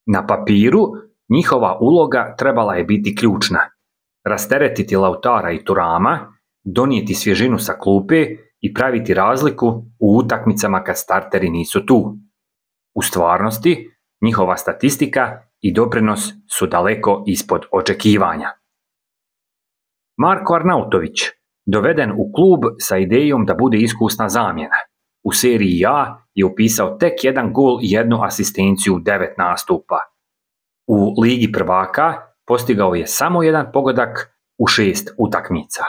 Na papiru njihova uloga trebala je biti ključna. Rasteretiti Lautara i Thurama, donijeti svježinu sa klupe i praviti razliku u utakmicama kad starteri nisu tu. U stvarnosti, njihova statistika i doprinos su daleko ispod očekivanja. Marko Arnautović, doveden u klub sa idejom da bude iskusna zamjena. U seriji A je upisao tek 1 gol i 1 asistenciju u 9 nastupa. U Ligi prvaka postigao je samo 1 pogodak u 6 utakmica.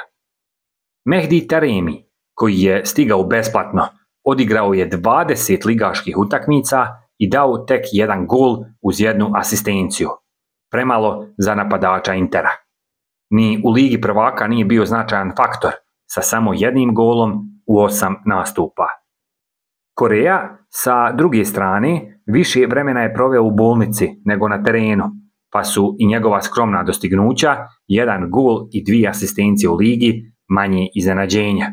Mehdi Taremi, koji je stigao besplatno, odigrao je 20 ligaških utakmica i dao tek 1 gol uz 1 asistenciju. Premalo za napadača Intera. Ni u Ligi prvaka nije bio značajan faktor, sa samo 1 golom u 8 nastupa. Korea, sa druge strane, više vremena je proveo u bolnici nego na terenu, pa su i njegova skromna dostignuća, 1 gol i 2 asistencije u ligi, manje iznenađenja.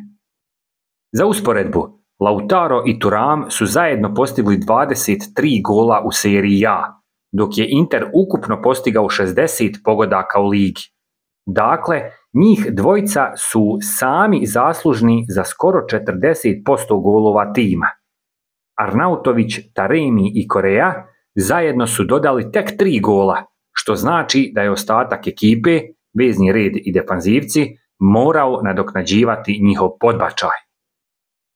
Za usporedbu, Lautaro i Thuram su zajedno postigli 23 gola u seriji A, dok je Inter ukupno postigao 60 pogodaka u ligi. Dakle, njih dvojica su sami zaslužni za skoro 40% golova tima. Arnautović, Taremi i Korea zajedno su dodali tek 3 gola, što znači da je ostatak ekipe, vezni red i defanzivci, morao nadoknađivati njihov podbačaj.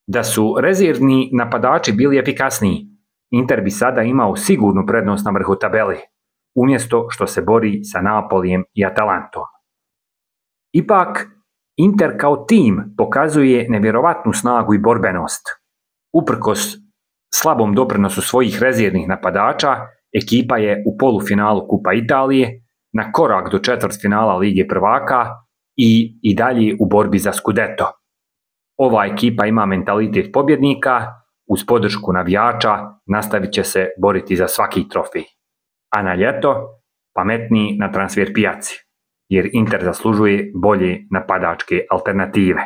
Da su rezervni napadači bili efikasniji, Inter bi sada imao sigurnu prednost na vrhu tabele, umjesto što se bori sa Napolijem i Atalantom. Ipak, Inter kao tim pokazuje nevjerovatnu snagu i borbenost. Uprkos slabom doprinosu svojih rezervnih napadača, ekipa je u polufinalu Kupa Italije, na korak do četvrtfinala Lige prvaka i dalje u borbi za Scudetto. Ova ekipa ima mentalitet pobjednika, uz podršku navijača nastavit će se boriti za svaki trofej. A na ljeto pametniji na transfer pijaci, jer Inter zaslužuje bolje napadačke alternative.